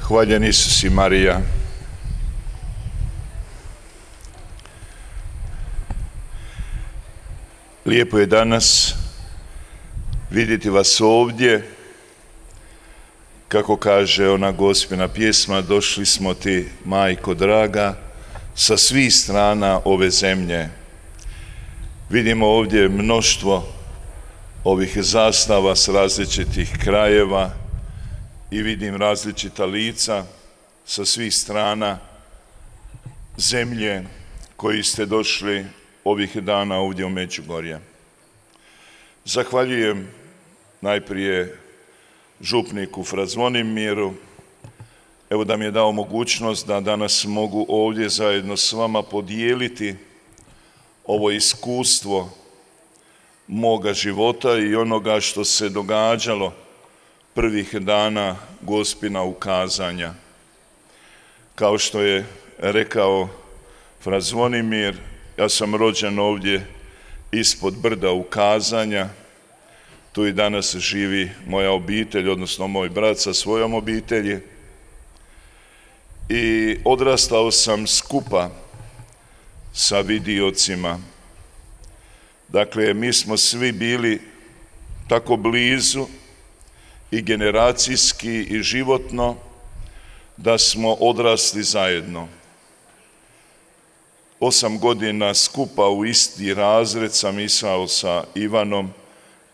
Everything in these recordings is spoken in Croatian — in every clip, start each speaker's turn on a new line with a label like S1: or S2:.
S1: Hvaljen Isus i Marija. Lijepo je danas vidjeti vas ovdje. Kako kaže ona gospina pjesma, došli smo ti, majko draga, sa svih strana ove zemlje. Vidimo ovdje mnoštvo ovih zastava s različitih krajeva i vidim različita lica sa svih strana zemlje koji ste došli ovih dana ovdje u Međugorje. Zahvaljujem najprije župniku Fra Zvonimiru, evo da mi je dao mogućnost da danas mogu ovdje zajedno s vama podijeliti ovo iskustvo moga života i onoga što se događalo prvih dana gospina ukazanja. Kao što je rekao Fra Zvonimir, ja sam rođen ovdje ispod brda ukazanja, tu i danas živi moja obitelj, odnosno moj brat sa svojom obitelji. I odrastao sam skupa sa vidiocima. Dakle, mi smo svi bili tako blizu i generacijski i životno da smo odrasli zajedno. 8 godina skupa u isti razred sam išao sa Ivanom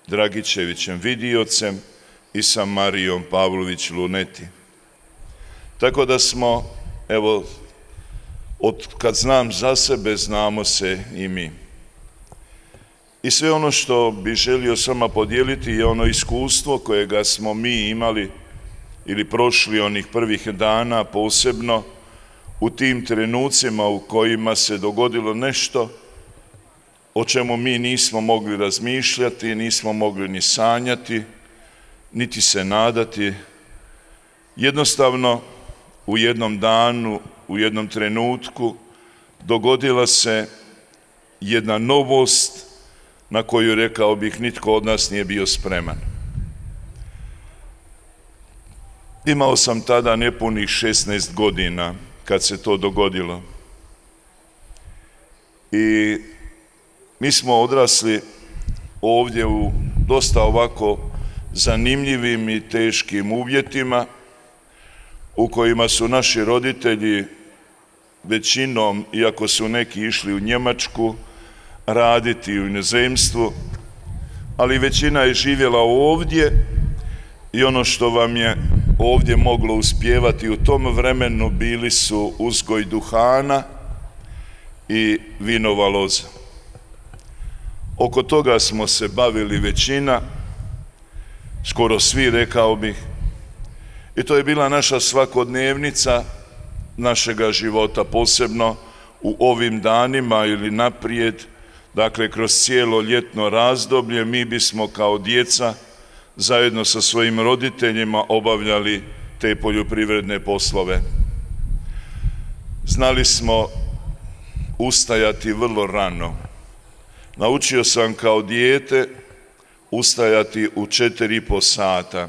S1: Dragičevićem Vidiocem i sa Marijom Pavlović Luneti. Tako da smo, evo, od kad znam za sebe, znamo se i mi. I sve ono što bi želio s vama podijeliti je ono iskustvo kojega smo mi imali ili prošli onih prvih dana, posebno u tim trenucima u kojima se dogodilo nešto o čemu mi nismo mogli razmišljati, nismo mogli ni sanjati, niti se nadati. Jednostavno, u jednom danu, u jednom trenutku dogodila se jedna novost na koju, rekao bih, nitko od nas nije bio spreman. Imao sam tada nepunih 16 godina kad se to dogodilo. I mi smo odrasli ovdje u dosta ovako zanimljivim i teškim uvjetima u kojima su naši roditelji većinom, iako su neki išli u Njemačku raditi u inozemstvu, ali većina je živjela ovdje i ono što vam je ovdje moglo uspijevati u tom vremenu bili su uzgoj duhana i vinova loza. Oko toga smo se bavili većina, skoro svi, rekao bih, i to je bila naša svakodnevnica našega života, posebno u ovim danima ili naprijed. Dakle, kroz cijelo ljetno razdoblje mi bismo kao djeca zajedno sa svojim roditeljima obavljali te poljoprivredne poslove. Znali smo ustajati vrlo rano. Naučio sam kao dijete ustajati u 4,5 sata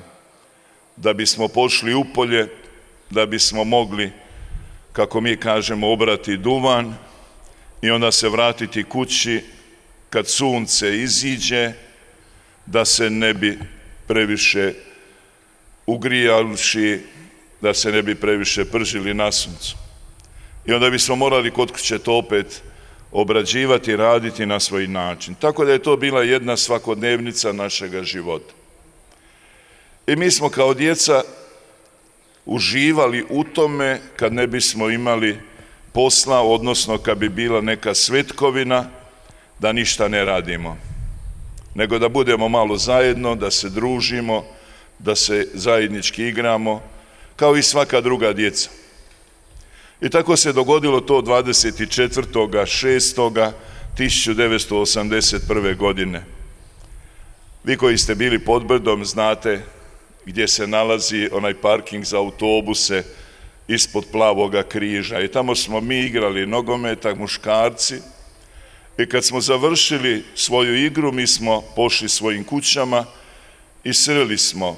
S1: da bismo pošli u polje, da bismo mogli, kako mi kažemo, obrati duvan i onda se vratiti kući kad sunce iziđe, da se ne bi previše ugrijavši, da se ne bi previše pržili na suncu. I onda bismo morali kod kuće to opet obrađivati, raditi na svoj način. Tako da je to bila jedna svakodnevnica našega života. I mi smo kao djeca uživali u tome kad ne bismo imali posla, odnosno kad bi bila neka svetkovina, da ništa ne radimo, nego da budemo malo zajedno, da se družimo, da se zajednički igramo, kao i svaka druga djeca. I tako se dogodilo to 24.6.1981. godine. Vi koji ste bili pod brdom znate gdje se nalazi onaj parking za autobuse ispod Plavoga križa. I tamo smo mi igrali nogometak, muškarci. I kad smo završili svoju igru, mi smo pošli svojim kućama i sreli smo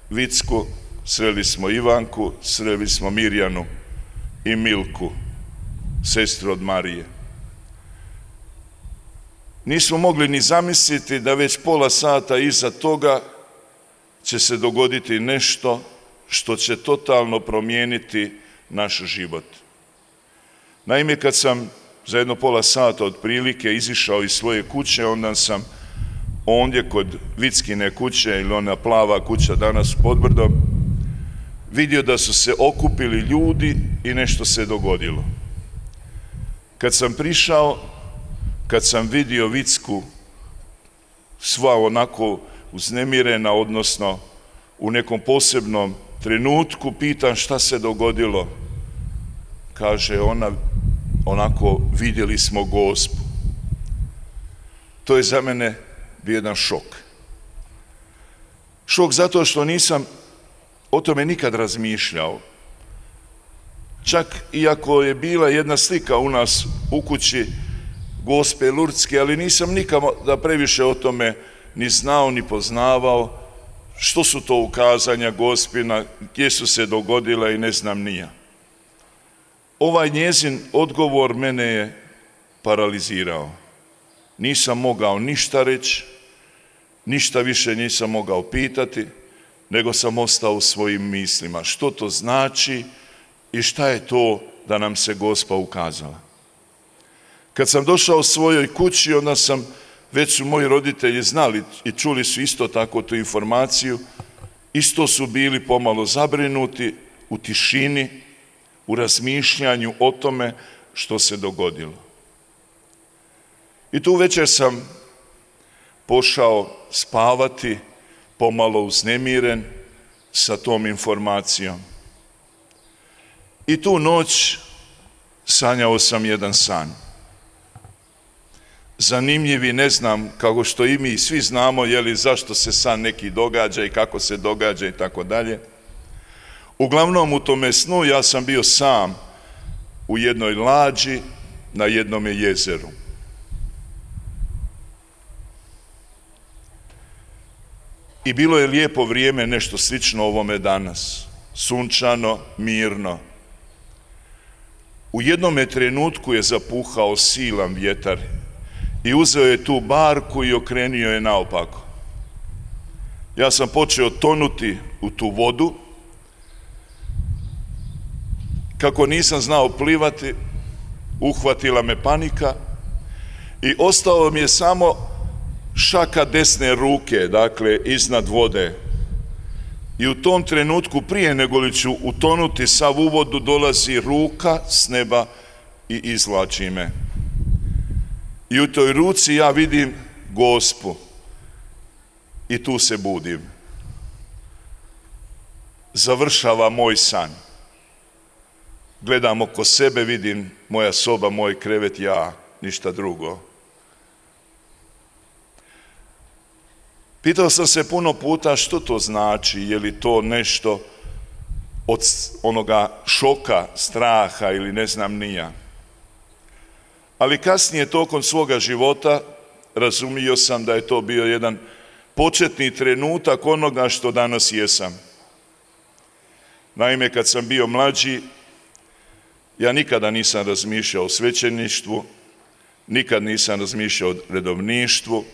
S1: vicku sreli smo Ivanku, sreli smo Mirjanu i Milku, sestru od Marije. Nismo mogli ni zamisliti da već pola sata iza toga će se dogoditi nešto što će totalno promijeniti naš život. Naime, kad sam za jedno pola sata otprilike izišao iz svoje kuće, onda sam ondje kod Vickine kuće, ili ona plava kuća danas pod brdom, vidio da su se okupili ljudi i nešto se dogodilo. Kad sam prišao, kad sam vidio Vicku sva onako uznemirena, odnosno u nekom posebnom trenutku, pitam šta se dogodilo. Kaže ona onako, vidjeli smo Gospu. To je za mene bio jedan šok. Šok zato što nisam o tome nikad razmišljao. Čak iako je bila jedna slika u nas u kući Gospe Lurdske, ali nisam nikada previše o tome ni znao ni poznavao, što su to ukazanja Gospina, gdje su se dogodila i ne znam ni ja. Ovaj njezin odgovor mene je paralizirao. Nisam mogao ništa reći, ništa više nisam mogao pitati, nego sam ostao u svojim mislima. Što to znači i šta je to da nam se Gospa ukazala? Kad sam došao u svojoj kući, onda sam, već su moji roditelji znali i čuli su isto tako tu informaciju, isto su bili pomalo zabrinuti u tišini, u razmišljanju o tome što se dogodilo. I tu večer sam pošao spavati, pomalo uznemiren sa tom informacijom. I tu noć sanjao sam jedan san. Zanimljivi, ne znam, kako što i mi svi znamo, zašto se san neki događa i kako se događa i tako dalje. Uglavnom u tome snu ja sam bio sam u jednoj lađi na jednome jezeru. I bilo je lijepo vrijeme, nešto slično ovome danas, sunčano, mirno. U jednome trenutku je zapuhao silan vjetar i uzeo je tu barku i okrenio je naopako. Ja sam počeo tonuti u tu vodu. Kako nisam znao plivati, uhvatila me panika i ostao mi je samo šaka desne ruke, dakle iznad vode. I u tom trenutku, prije nego li ću utonuti sav u vodu, dolazi ruka s neba i izvlači me. I u toj ruci ja vidim Gospu i tu se budim. Završava moj san. Gledam oko sebe, vidim moja soba, moj krevet, ja, ništa drugo. Pitao sam se puno puta što to znači, je li to nešto od onoga šoka, straha ili ne znam ni ja. Ali kasnije tokom svoga života razumio sam da je to bio jedan početni trenutak onoga što danas jesam. Naime, kad sam bio mlađi, ja nikada nisam razmišljao o svećeništvu, nikad nisam razmišljao o redovništvu.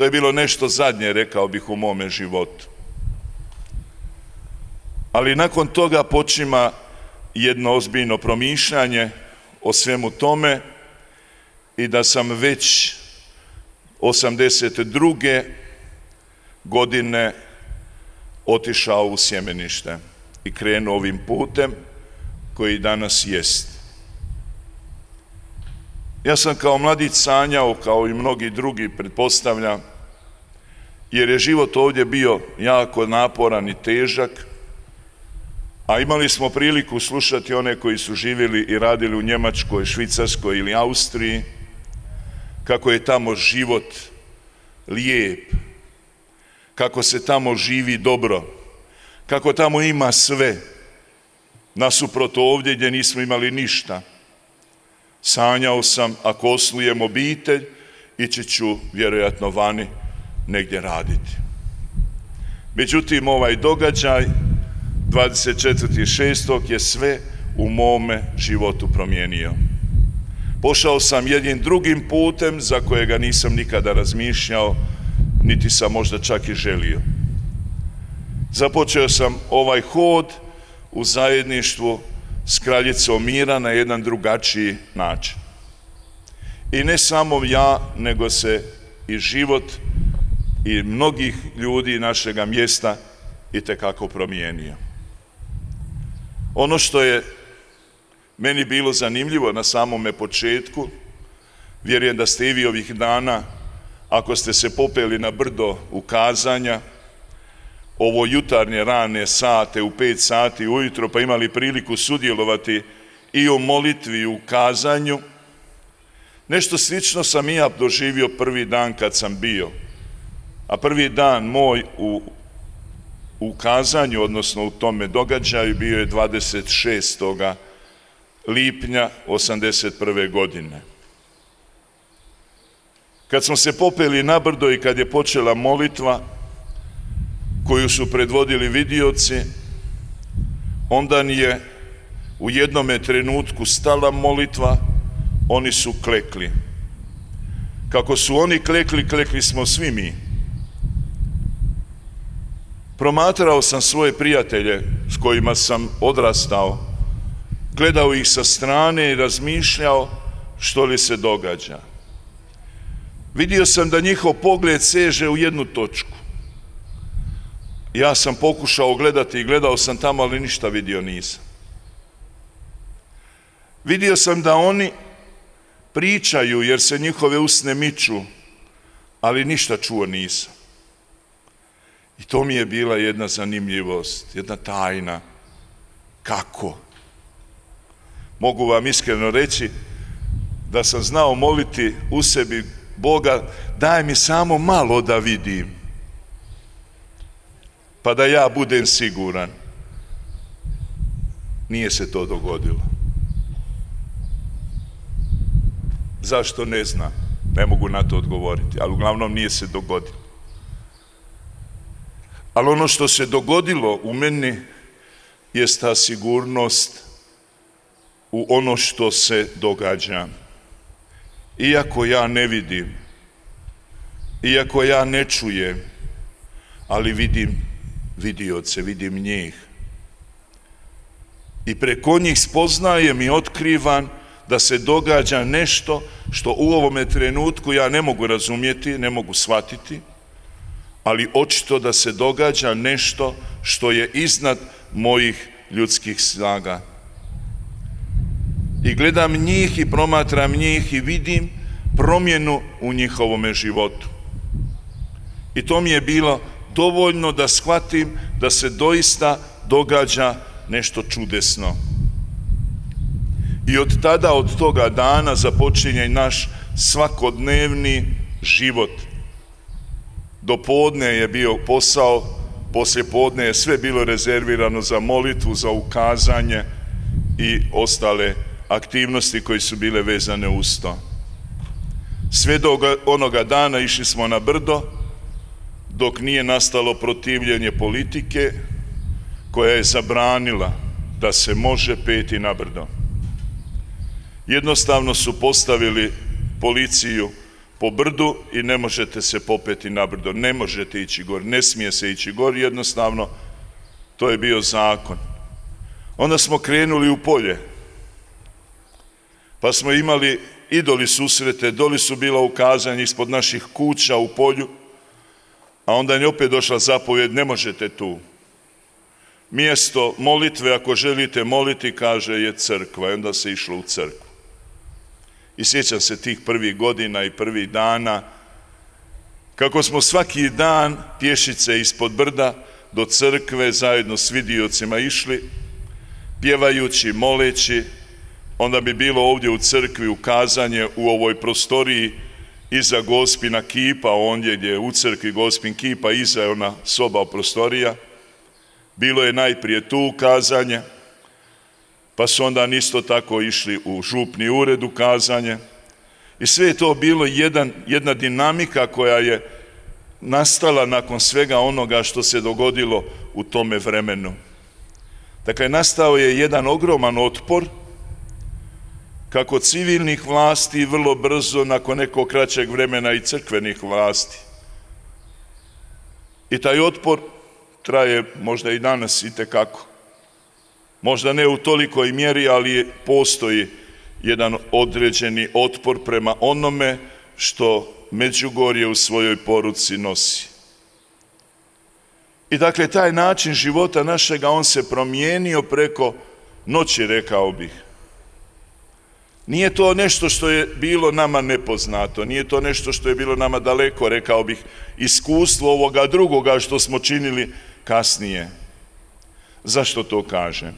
S1: To je bilo nešto zadnje, rekao bih, u mome životu. Ali nakon toga počima jedno ozbiljno promišljanje o svemu tome i da sam već 82. godine otišao u sjemenište i krenuo ovim putem koji danas jest. Ja sam kao mladić sanjao, kao i mnogi drugi, pretpostavljam, jer je život ovdje bio jako naporan i težak, a imali smo priliku slušati one koji su živjeli i radili u Njemačkoj, Švicarskoj ili Austriji, kako je tamo život lijep, kako se tamo živi dobro, kako tamo ima sve, nasuprot ovdje gdje nismo imali ništa. Sanjao sam, ako osnujem obitelj, ići ću vjerojatno vani negdje raditi. Međutim, ovaj događaj 24.6. je sve u mome životu promijenio. Pošao sam jednim drugim putem za kojega nisam nikada razmišljao, niti sam možda čak i želio. Započeo sam ovaj hod u zajedništvu s kraljicom mira na jedan drugačiji način. I ne samo ja, nego se i život i mnogih ljudi našega mjesta itekako promijenio. Ono što je meni bilo zanimljivo na samome početku, vjerujem da ste i vi ovih dana, ako ste se popeli na brdo ukazanja, ovo jutarnje rane sate u 5 sati ujutro, pa imali priliku sudjelovati i u molitvi i u ukazanju, nešto slično sam i ja doživio prvi dan kad sam bio. A prvi dan moj u ukazanju, odnosno u tome događaju, bio je 26. lipnja 1981. godine. Kad smo se popeli na brdo i kad je počela molitva koju su predvodili vidioci, onda je u jednome trenutku stala molitva, oni su klekli. Kako su oni klekli, klekli smo svi mi. Promatrao sam svoje prijatelje s kojima sam odrastao, gledao ih sa strane i razmišljao što li se događa. Vidio sam da njihov pogled seže u jednu točku. Ja sam pokušao gledati i gledao sam tamo, ali ništa vidio nisam. Vidio sam da oni pričaju jer se njihove usne miču, ali ništa čuo nisam. I to mi je bila jedna zanimljivost, jedna tajna. Kako? Mogu vam iskreno reći da sam znao moliti u sebi Boga, daj mi samo malo da vidim, pa da ja budem siguran. Nije se to dogodilo. Zašto ne znam? Ne mogu na to odgovoriti, ali uglavnom nije se dogodilo. Ali ono što se dogodilo u meni jest ta sigurnost u ono što se događa. Iako ja ne vidim, iako ja ne čujem, ali vidim vidioce, vidim njih. I preko njih spoznajem i otkrivam da se događa nešto što u ovome trenutku ja ne mogu razumjeti, ne mogu shvatiti, ali očito da se događa nešto što je iznad mojih ljudskih snaga. I gledam njih i promatram njih i vidim promjenu u njihovome životu. I to mi je bilo dovoljno da shvatim da se doista događa nešto čudesno. I od tada, od toga dana započinje naš svakodnevni život. Do podne je bio posao, poslije podne je sve bilo rezervirano za molitvu, za ukazanje i ostale aktivnosti koje su bile vezane uz to. Sve do onoga dana išli smo na brdo, dok nije nastalo protivljenje politike koja je zabranila da se može peti na brdo. Jednostavno su postavili policiju po brdu i ne možete se popeti na brdo, ne možete ići gor, ne smije se ići gor, jednostavno to je bio zakon. Onda smo krenuli u polje, pa smo imali i doli susrete, doli su bila ukazanja ispod naših kuća u polju, a onda je opet došla zapovjed, ne možete tu. Mjesto molitve, ako želite moliti, kaže, je crkva, i onda se išlo u crkvu. I sjećam se tih prvih godina i prvih dana, kako smo svaki dan pješice ispod brda do crkve zajedno s vidiocima išli, pjevajući, moleći. Onda bi bilo ovdje u crkvi ukazanje u ovoj prostoriji iza Gospina kipa, ondje gdje je u crkvi Gospin kipa, iza je ona soba prostorija. Bilo je najprije tu ukazanje, pa su onda isto tako išli u župni ured ukazanje. I sve je to bilo jedna dinamika koja je nastala nakon svega onoga što se dogodilo u tome vremenu. Dakle, nastao je jedan ogroman otpor kako civilnih vlasti vrlo brzo, nakon nekog kraćeg vremena i crkvenih vlasti. I taj otpor traje možda i danas itekako. Možda ne u tolikoj mjeri, ali postoji jedan određeni otpor prema onome što Međugorje u svojoj poruci nosi. I dakle, taj način života našega, on se promijenio preko noći, rekao bih. Nije to nešto što je bilo nama nepoznato, nije to nešto što je bilo nama daleko, rekao bih, iskustvo ovoga drugoga što smo činili kasnije. Zašto to kažem?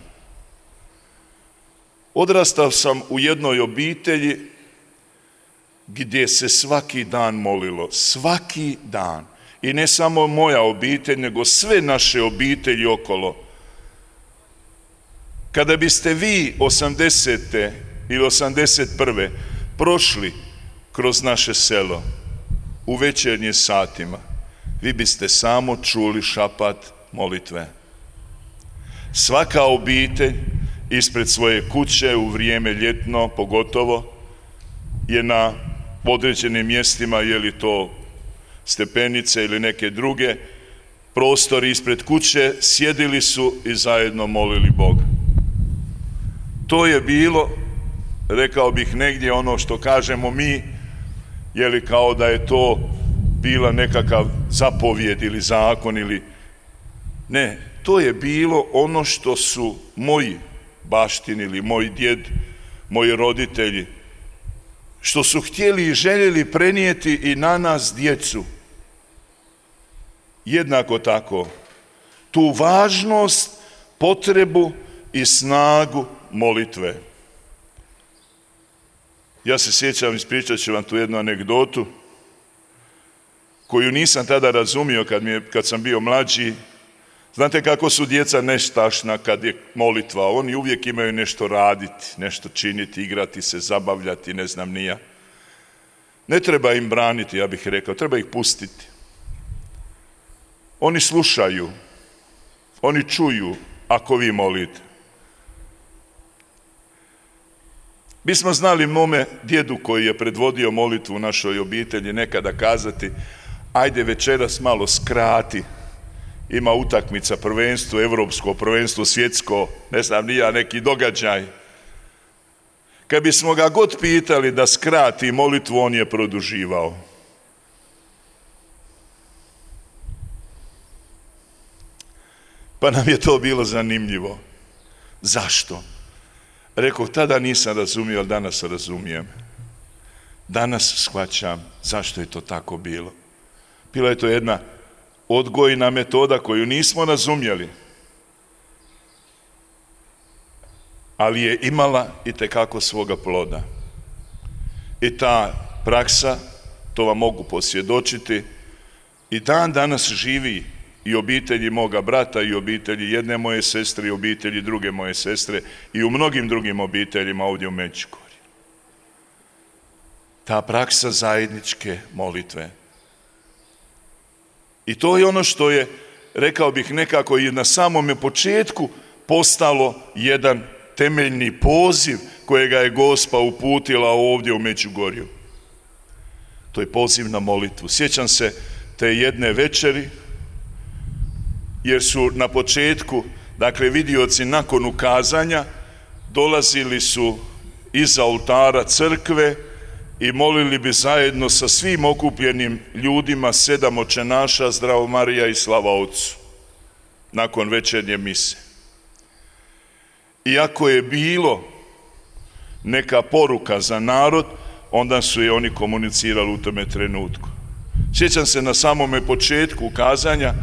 S1: Odrastao sam u jednoj obitelji gdje se svaki dan molilo, svaki dan. I ne samo moja obitelj, nego sve naše obitelji okolo. Kada biste vi 80. ili 81. prošli kroz naše selo u večernjim satima, vi biste samo čuli šapat molitve. Svaka obitelj ispred svoje kuće u vrijeme ljetno pogotovo je na određenim mjestima, je li to stepenice ili neke druge, prostori ispred kuće, sjedili su i zajedno molili Boga. To je bilo, rekao bih, negdje ono što kažemo mi, je li kao da je to bila nekakav zapovjed ili zakon ili... Ne, to je bilo ono što su moji baštinili, moj djed, moji roditelji, što su htjeli i željeli prenijeti i na nas, djecu. Jednako tako, tu važnost, potrebu i snagu molitve. Ja se sjećam, ispričat ću vam tu jednu anegdotu, koju nisam tada razumio kad sam bio mlađi. Znate kako su djeca nestašna kad je molitva, oni uvijek imaju nešto raditi, nešto činiti, igrati se, zabavljati, ne znam ni ja. Ne treba im braniti, ja bih rekao, treba ih pustiti. Oni slušaju, oni čuju ako vi molite. Mi smo znali mome djedu koji je predvodio molitvu u našoj obitelji nekada kazati: ajde večeras malo skrati, ima utakmica, prvenstvo, europsko prvenstvo, svjetsko, ne znam ni ja, neki događaj. Kad bismo ga god pitali da skrati molitvu, on je produživao. Pa nam je to bilo zanimljivo. Zašto? Rekao, tada nisam razumio, ali danas razumijem. Danas shvaćam zašto je to tako bilo. Bila je to jedna odgojna metoda koju nismo razumjeli, ali je imala itekako svoga ploda. I ta praksa, to vam mogu posvjedočiti, i dan danas živi i obitelji moga brata, i obitelji jedne moje sestre, i obitelji druge moje sestre, i u mnogim drugim obiteljima ovdje u Međugorju. Ta praksa zajedničke molitve. I to je ono što je, rekao bih, nekako i na samome početku postalo jedan temeljni poziv kojega je Gospa uputila ovdje u Međugorju. To je poziv na molitvu. Sjećam se te jedne večeri, jer su na početku, dakle, vidioci nakon ukazanja dolazili su iza oltara crkve i molili bi zajedno sa svim okupljenim ljudima 7 očenaša, Zdravo Marija i Slava Otcu, nakon večernje mise. Iako je bilo neka poruka za narod, onda su je oni komunicirali u tome trenutku. Sjećam se na samome početku ukazanja,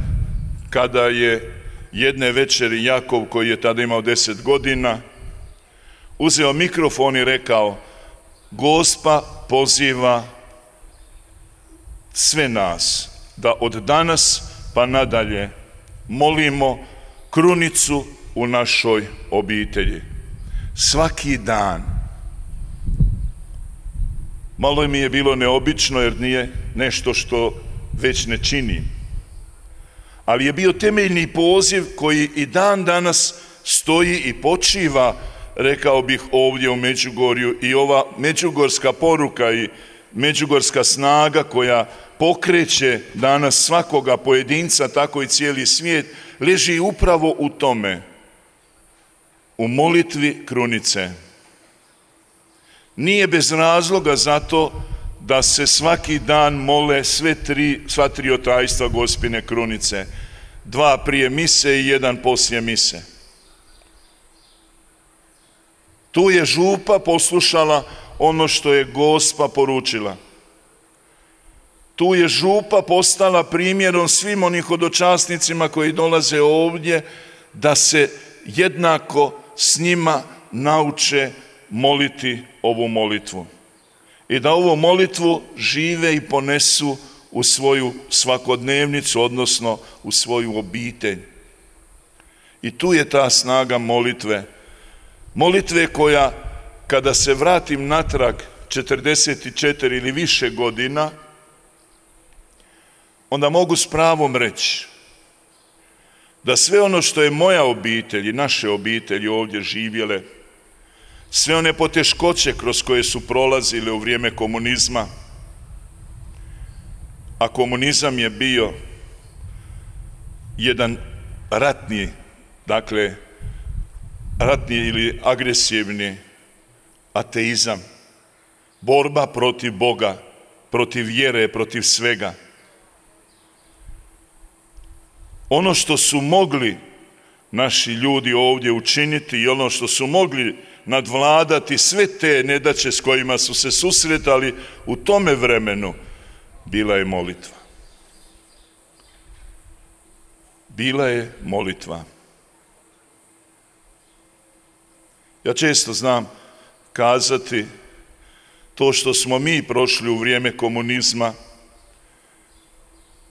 S1: kada je jedne večeri Jakov, koji je tada imao 10 godina, uzeo mikrofon i rekao: Gospa poziva sve nas da od danas pa nadalje molimo krunicu u našoj obitelji. Svaki dan. Malo mi je bilo neobično, jer nije nešto što već ne čini. Ali je bio temeljni poziv koji i dan danas stoji i počiva, rekao bih, ovdje u Međugorju, i ova međugorska poruka i međugorska snaga koja pokreće danas svakoga pojedinca, tako i cijeli svijet, leži upravo u tome, u molitvi krunice. Nije bez razloga zato da se svaki dan mole sva tri otajstva Gospine krunice, 2 prije mise i 1 poslije mise. Tu je župa poslušala ono što je Gospa poručila. Tu je župa postala primjerom svim onih hodočasnicima koji dolaze ovdje, da se jednako s njima nauče moliti ovu molitvu. I da ovu molitvu žive i ponesu u svoju svakodnevnicu, odnosno u svoju obitelj. I tu je ta snaga molitve. Molitve koja, kada se vratim natrag 44 ili više godina, onda mogu s pravom reći da sve ono što je moja obitelj i naše obitelji ovdje živjele, sve one poteškoće kroz koje su prolazile u vrijeme komunizma, a komunizam je bio jedan ratni ili agresivni ateizam, borba protiv Boga, protiv vjere, protiv svega. Ono što su mogli naši ljudi ovdje učiniti i ono što su mogli nadvladati sve te nedaće s kojima su se susretali u tome vremenu, bila je molitva. Bila je molitva. Ja često znam kazati, to što smo mi prošli u vrijeme komunizma,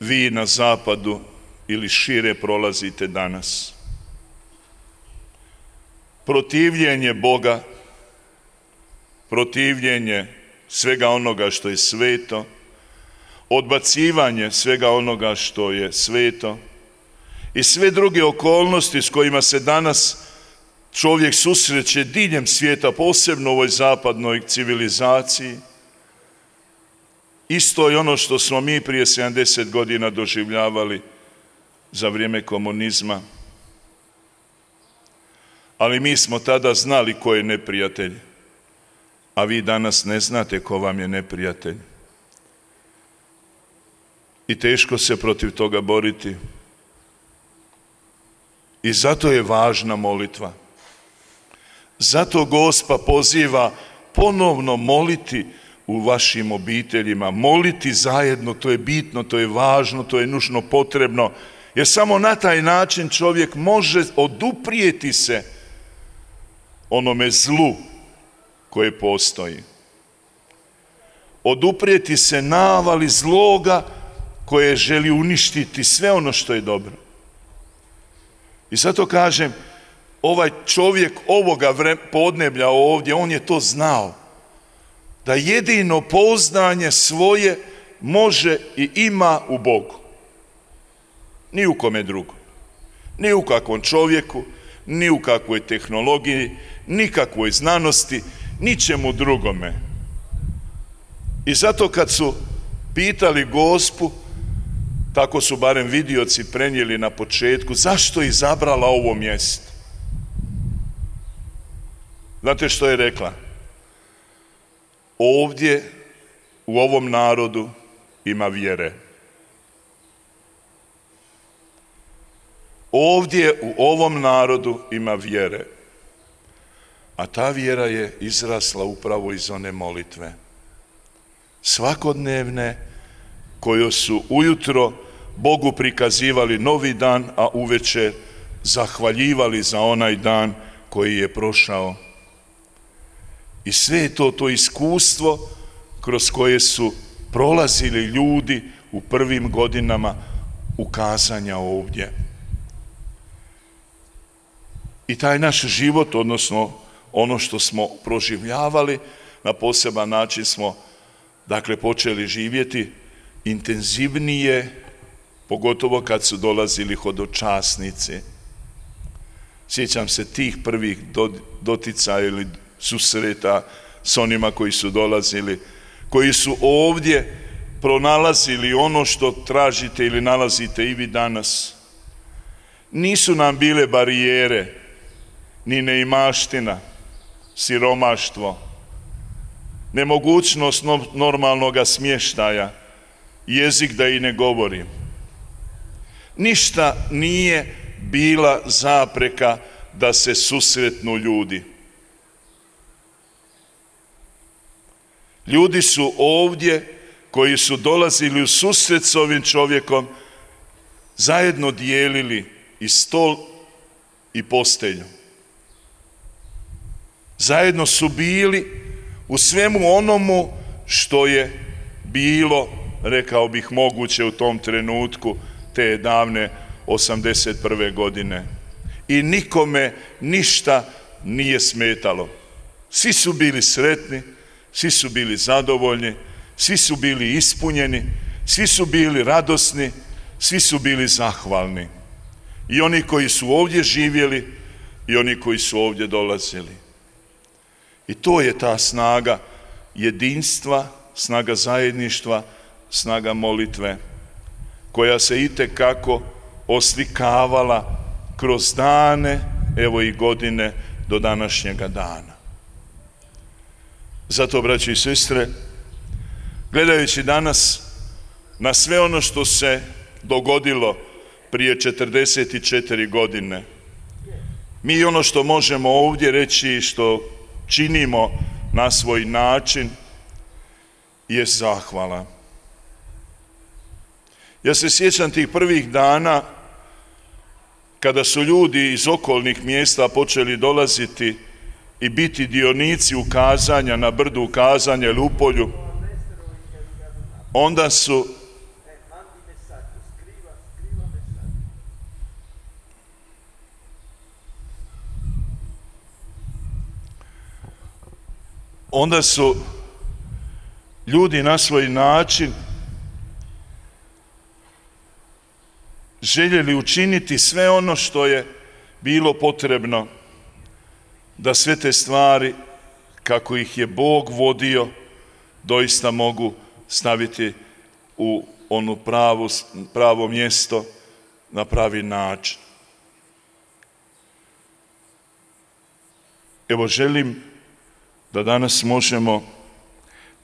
S1: vi na zapadu ili šire prolazite danas. Protivljenje Boga, protivljenje svega onoga što je sveto, odbacivanje svega onoga što je sveto i sve druge okolnosti s kojima se danas čovjek susreće diljem svijeta, posebno u ovoj zapadnoj civilizaciji, isto je ono što smo mi prije 70 godina doživljavali za vrijeme komunizma. Ali mi smo tada znali ko je neprijatelj, a vi danas ne znate ko vam je neprijatelj. I teško se protiv toga boriti. I zato je važna molitva. Zato Gospa poziva ponovno moliti u vašim obiteljima, moliti zajedno, to je bitno, to je važno, to je nužno potrebno, jer samo na taj način čovjek može oduprijeti se onome zlu koje postoji. Oduprijeti se navali zloga koje želi uništiti sve ono što je dobro. I zato kažem, ovaj čovjek ovoga podneblja ovdje, on je to znao, da jedino pouzdanje svoje može i ima u Bogu. Ni u kome drugom. Ni u kakvom čovjeku, ni u kakvoj tehnologiji, nikakvoj znanosti, ničemu drugome. I zato kad su pitali Gospu, tako su barem vidioci prenijeli na početku, zašto je izabrala ovo mjesto? Znate što je rekla? Ovdje, u ovom narodu, ima vjere. Ovdje, u ovom narodu, ima vjere. A ta vjera je izrasla upravo iz one molitve. Svakodnevne, koju su ujutro Bogu prikazivali novi dan, a uvečer zahvaljivali za onaj dan koji je prošao. I sve je to iskustvo kroz koje su prolazili ljudi u prvim godinama ukazanja ovdje. I taj naš život, odnosno ono što smo proživljavali, na poseban način smo počeli živjeti intenzivnije, pogotovo kad su dolazili hodočasnici. Sjećam se tih prvih doticaja ili susreta s onima koji su dolazili, koji su ovdje pronalazili ono što tražite ili nalazite i vi danas. Nisu nam bile barijere, ni neimaština, siromaštvo, nemogućnost normalnog smještaja, jezik da i ne govorim. Ništa nije bila zapreka da se susretnu ljudi. Ljudi su ovdje koji su dolazili u susret s ovim čovjekom zajedno dijelili i stol i postelju. Zajedno su bili u svemu onomu što je bilo, rekao bih, moguće u tom trenutku te davne 81. godine. I nikome ništa nije smetalo. Svi su bili sretni, svi su bili zadovoljni, svi su bili ispunjeni, svi su bili radosni, svi su bili zahvalni. I oni koji su ovdje živjeli i oni koji su ovdje dolazili. I to je ta snaga jedinstva, snaga zajedništva, snaga molitve, koja se itekako oslikavala kroz dane, evo i godine do današnjega dana. Zato, braći i sestre, gledajući danas na sve ono što se dogodilo prije 44 godine, mi ono što možemo ovdje reći, što činimo na svoj način, je zahvala. Ja se sjećam tih prvih dana kada su ljudi iz okolnih mjesta počeli dolaziti i biti dionici ukazanja na brdu ukazanja ili u polju, onda su ljudi na svoj način željeli učiniti sve ono što je bilo potrebno da sve te stvari, kako ih je Bog vodio, doista mogu staviti u ono pravo mjesto na pravi način. Evo, želim da danas možemo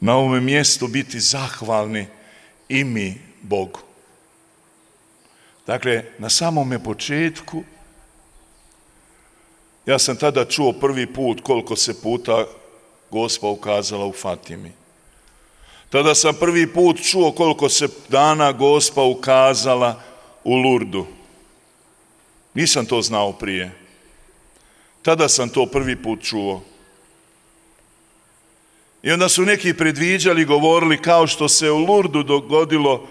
S1: na ovome mjestu biti zahvalni i mi Bogu. Dakle, na samome početku, ja sam tada čuo prvi put koliko se puta Gospa ukazala u Fatimi. Tada sam prvi put čuo koliko se dana Gospa ukazala u Lurdu. Nisam to znao prije. Tada sam to prvi put čuo. I onda su neki predviđali, govorili kao što se u Lurdu dogodilo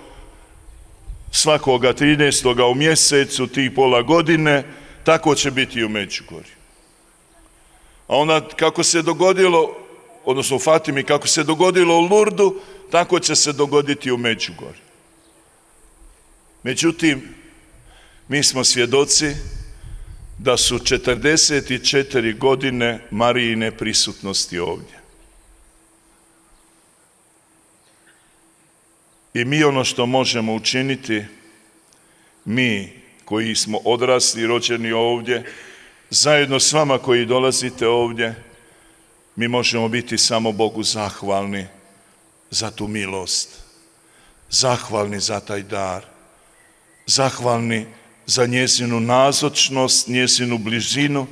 S1: svakoga 13. u mjesecu, tih pola godine, tako će biti i u Međugorju. A onda kako se dogodilo, odnosno u Fatimi, kako se dogodilo u Lurdu, tako će se dogoditi u Međugorju. Međutim, mi smo svjedoci da su 44 godine Marijine prisutnosti ovdje. I mi ono što možemo učiniti, mi koji smo odrasli i rođeni ovdje, zajedno s vama koji dolazite ovdje, mi možemo biti samo Bogu zahvalni za tu milost, zahvalni za taj dar, zahvalni za njezinu nazočnost, njezinu bližinu,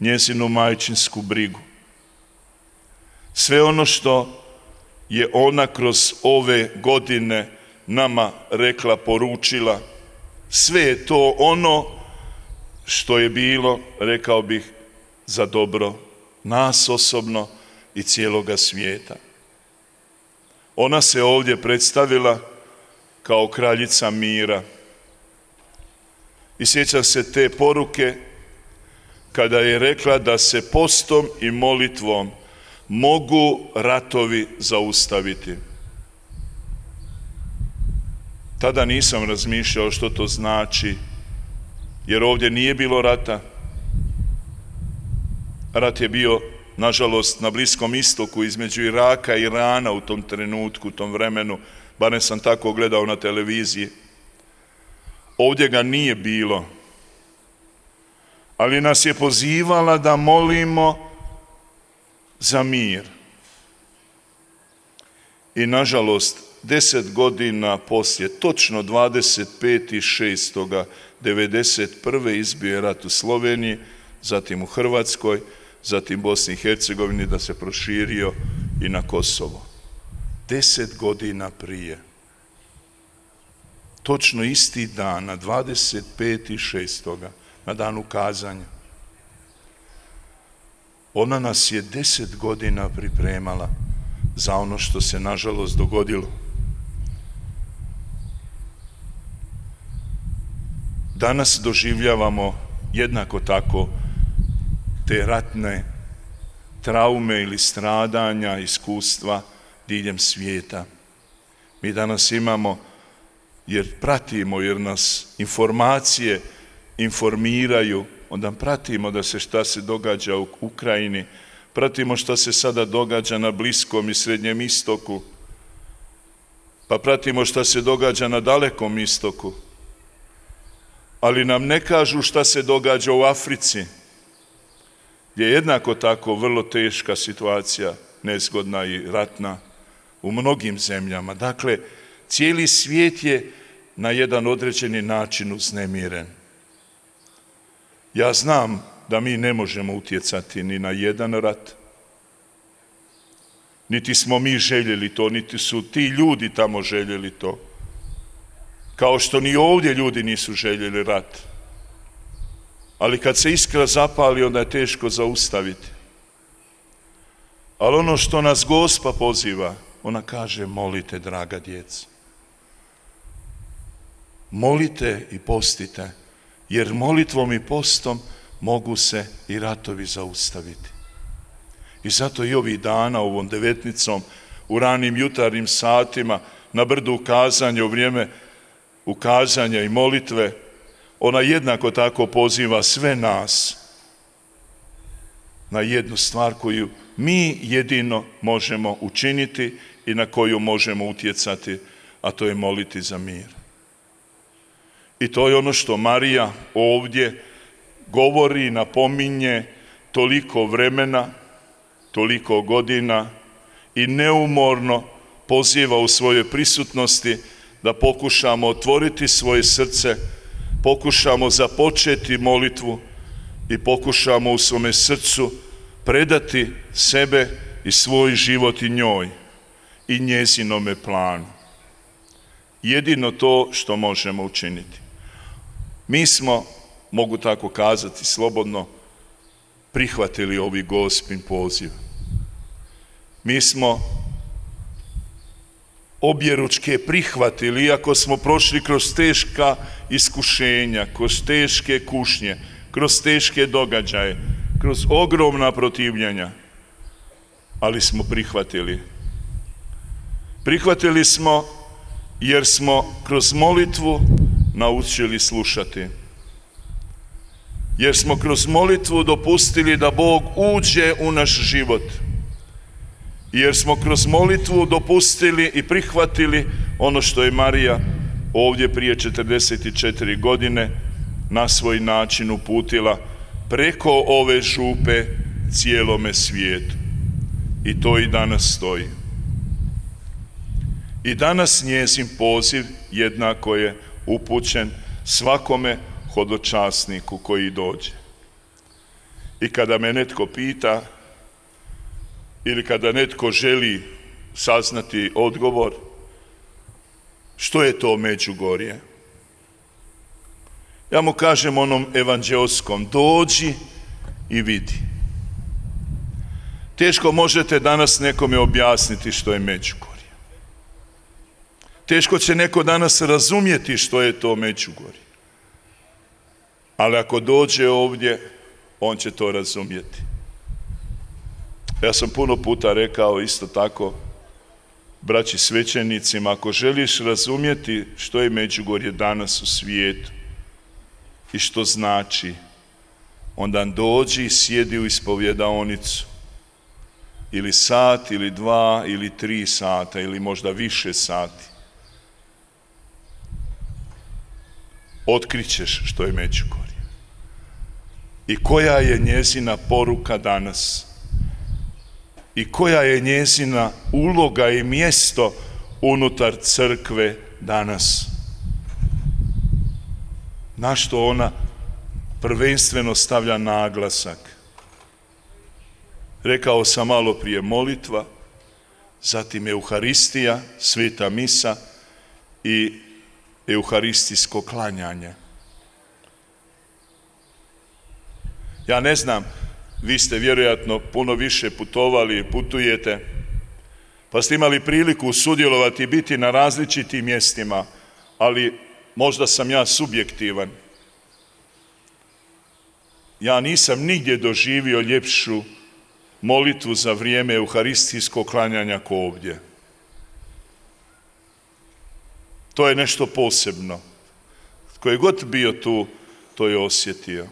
S1: njezinu majčinsku brigu. Sve ono što je ona kroz ove godine nama rekla, poručila, sve je to ono što je bilo, rekao bih, za dobro nas osobno i cijeloga svijeta. Ona se ovdje predstavila kao kraljica mira. I sjećam se te poruke kada je rekla da se postom i molitvom mogu ratovi zaustaviti. Tada nisam razmišljao što to znači, jer ovdje nije bilo rata, Rat je bio, nažalost, na Bliskom istoku između Iraka i Irana u tom trenutku, u tom vremenu, barem sam tako gledao na televiziji. Ovdje ga nije bilo, ali nas je pozivala da molimo za mir. I nažalost, 10 godina poslije, točno 25.6.1991. izbio je rat u Sloveniji, zatim u Hrvatskoj, zatim Bosni i Hercegovini, da se proširio i na Kosovo. 10 godina prije. Točno isti dan, na 25.6. na dan ukazanja. Ona nas je 10 godina pripremala za ono što se nažalost dogodilo. Danas doživljavamo jednako tako te ratne traume ili stradanja, iskustva diljem svijeta. Mi danas imamo, jer pratimo, jer nas informacije informiraju, onda pratimo da se šta se događa u Ukrajini, pratimo šta se sada događa na Bliskom i Srednjem istoku, pa pratimo šta se događa na Dalekom istoku, ali nam ne kažu šta se događa u Africi, gdje je jednako tako vrlo teška situacija, nezgodna i ratna u mnogim zemljama. Dakle, cijeli svijet je na jedan određeni način uznemiren. Ja znam da mi ne možemo utjecati ni na jedan rat, niti smo mi željeli to, niti su ti ljudi tamo željeli to. Kao što ni ovdje ljudi nisu željeli rat. Ali kad se iskra zapali, onda je teško zaustaviti. Ali ono što nas Gospa poziva, ona kaže: molite, draga djeca. Molite i postite, jer molitvom i postom mogu se i ratovi zaustaviti. I zato i ovih dana, ovom devetnicom, u ranim jutarnjim satima, na brdu ukazanja, u vrijeme ukazanja i molitve, ona jednako tako poziva sve nas na jednu stvar koju mi jedino možemo učiniti i na koju možemo utjecati, a to je moliti za mir. I to je ono što Marija ovdje govori, napominje toliko vremena, toliko godina i neumorno poziva u svojoj prisutnosti da pokušamo otvoriti svoje srce, pokušamo započeti molitvu i pokušamo u svome srcu predati sebe i svoj život i njoj i njezinome planu. Jedino to što možemo učiniti. Mi smo, mogu tako kazati slobodno, prihvatili ovi Gospin poziv. Mi smo objeručke prihvatili, iako smo prošli kroz teška iskušenja, kroz teške kušnje, kroz teške događaje, kroz ogromna protivljenja, ali smo prihvatili. Prihvatili smo jer smo kroz molitvu naučili slušati. Jer smo kroz molitvu dopustili da Bog uđe u naš život. Jer smo kroz molitvu dopustili i prihvatili ono što je Marija ovdje prije 44 godine na svoj način uputila preko ove župe cijelome svijetu. I to i danas stoji. I danas njezin poziv jednako je upućen svakome hodočasniku koji dođe. I kada me netko pita ili kada netko želi saznati odgovor, što je to Međugorje? Ja mu kažem onom evanđeoskom: dođi i vidi. Teško možete danas nekome objasniti što je Međugorje. Teško će neko danas razumjeti što je to Međugorje. Ali ako dođe ovdje, on će to razumjeti. Ja sam puno puta rekao isto tako braći svećenicima: ako želiš razumjeti što je Međugorje danas u svijetu i što znači, onda dođi i sjedi u ispovjedaonicu. Ili sat, ili 2, ili 3 sata, ili možda više sati. Otkrićeš što je Međugorje. I koja je njezina poruka danas. I koja je njezina uloga i mjesto unutar crkve danas. Na što ona prvenstveno stavlja naglasak. Rekao sam malo prije molitva, zatim Euharistija, sveta misa i euharistijsko klanjanje. Ja ne znam, vi ste vjerojatno puno više putovali i putujete, pa ste imali priliku sudjelovati i biti na različitim mjestima, ali možda sam ja subjektivan. Ja nisam nigdje doživio ljepšu molitvu za vrijeme euharistijskog klanjanja ko ovdje. To je nešto posebno. Tko je god bio tu, to je osjetio.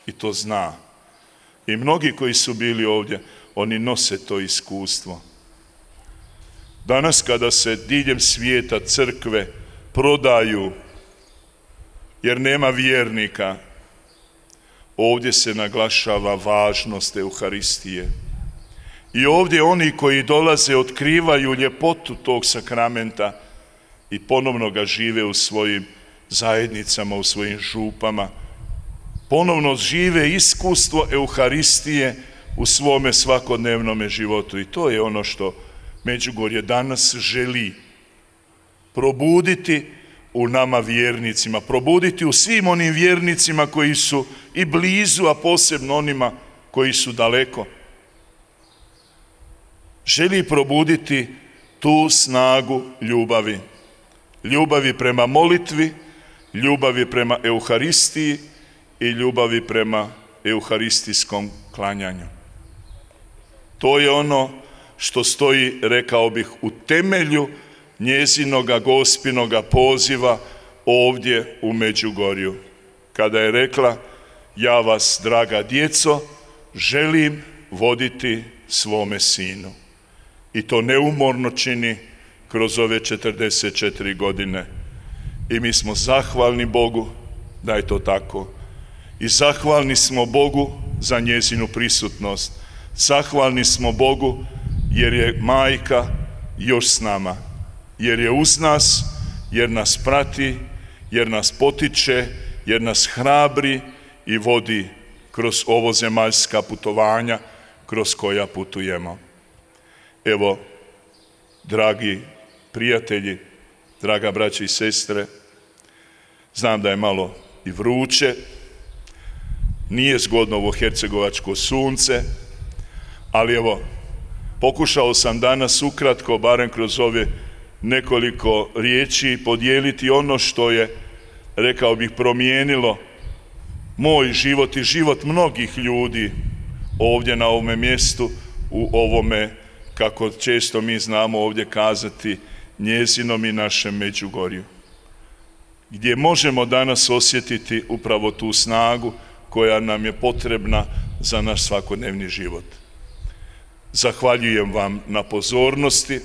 S1: I to zna. I mnogi koji su bili ovdje, oni nose to iskustvo. Danas kada se diljem svijeta crkve prodaju, jer nema vjernika, ovdje se naglašava važnost Euharistije. I ovdje oni koji dolaze otkrivaju ljepotu tog sakramenta i ponovno ga žive u svojim zajednicama, u svojim župama. Ponovno žive iskustvo Euharistije u svome svakodnevnome životu. I to je ono što Međugorje danas želi probuditi u nama vjernicima, probuditi u svim onim vjernicima koji su i blizu, a posebno onima koji su daleko. Želi probuditi tu snagu ljubavi. Ljubavi prema molitvi, ljubavi prema Euharistiji i ljubavi prema euharistijskom klanjanju. To je ono što stoji, rekao bih, u temelju njezinoga gospinoga poziva ovdje u Međugorju. Kada je rekla, ja vas, draga djeco, želim voditi svome sinu. I to neumorno čini kroz ove 44 godine. I mi smo zahvalni Bogu da je to tako. I zahvalni smo Bogu za njezinu prisutnost. Zahvalni smo Bogu jer je majka još s nama. Jer je uz nas, jer nas prati, jer nas potiče, jer nas hrabri i vodi kroz ovo zemaljska putovanja kroz koja putujemo. Evo, dragi prijatelji, draga braća i sestre, znam da je malo i vruće, nije zgodno ovo hercegovačko sunce, ali evo, pokušao sam danas ukratko, barem kroz ove nekoliko riječi, podijeliti ono što je, rekao bih, promijenilo moj život i život mnogih ljudi ovdje na ovome mjestu, u ovome, kako često mi znamo ovdje kazati, njezinom i našem Međugorju. Gdje možemo danas osjetiti upravo tu snagu koja nam je potrebna za naš svakodnevni život. Zahvaljujem vam na pozornosti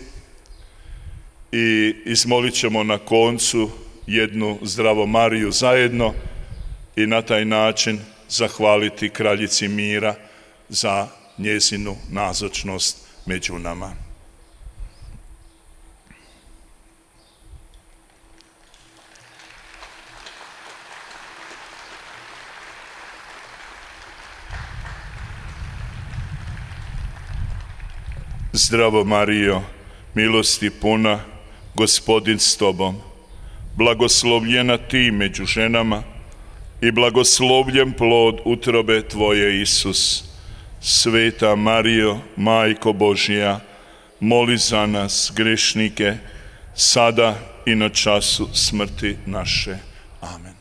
S1: i izmolit ćemo na koncu jednu Zdravo Mariju zajedno i na taj način zahvaliti Kraljici mira za njezinu nazočnost među nama. Zdravo Marijo, milosti puna, Gospodin s tobom, blagoslovljena ti među ženama i blagoslovljen plod utrobe tvoje, Isus. Sveta Marijo, Majko Božja, moli za nas grešnike, sada i na času smrti naše. Amen.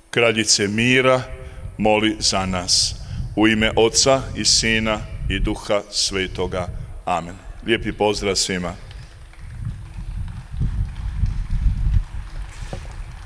S1: Kraljice mira, moli za nas. U ime Oca i Sina i Duha Svetoga. Amen. Lijepi pozdrav svima.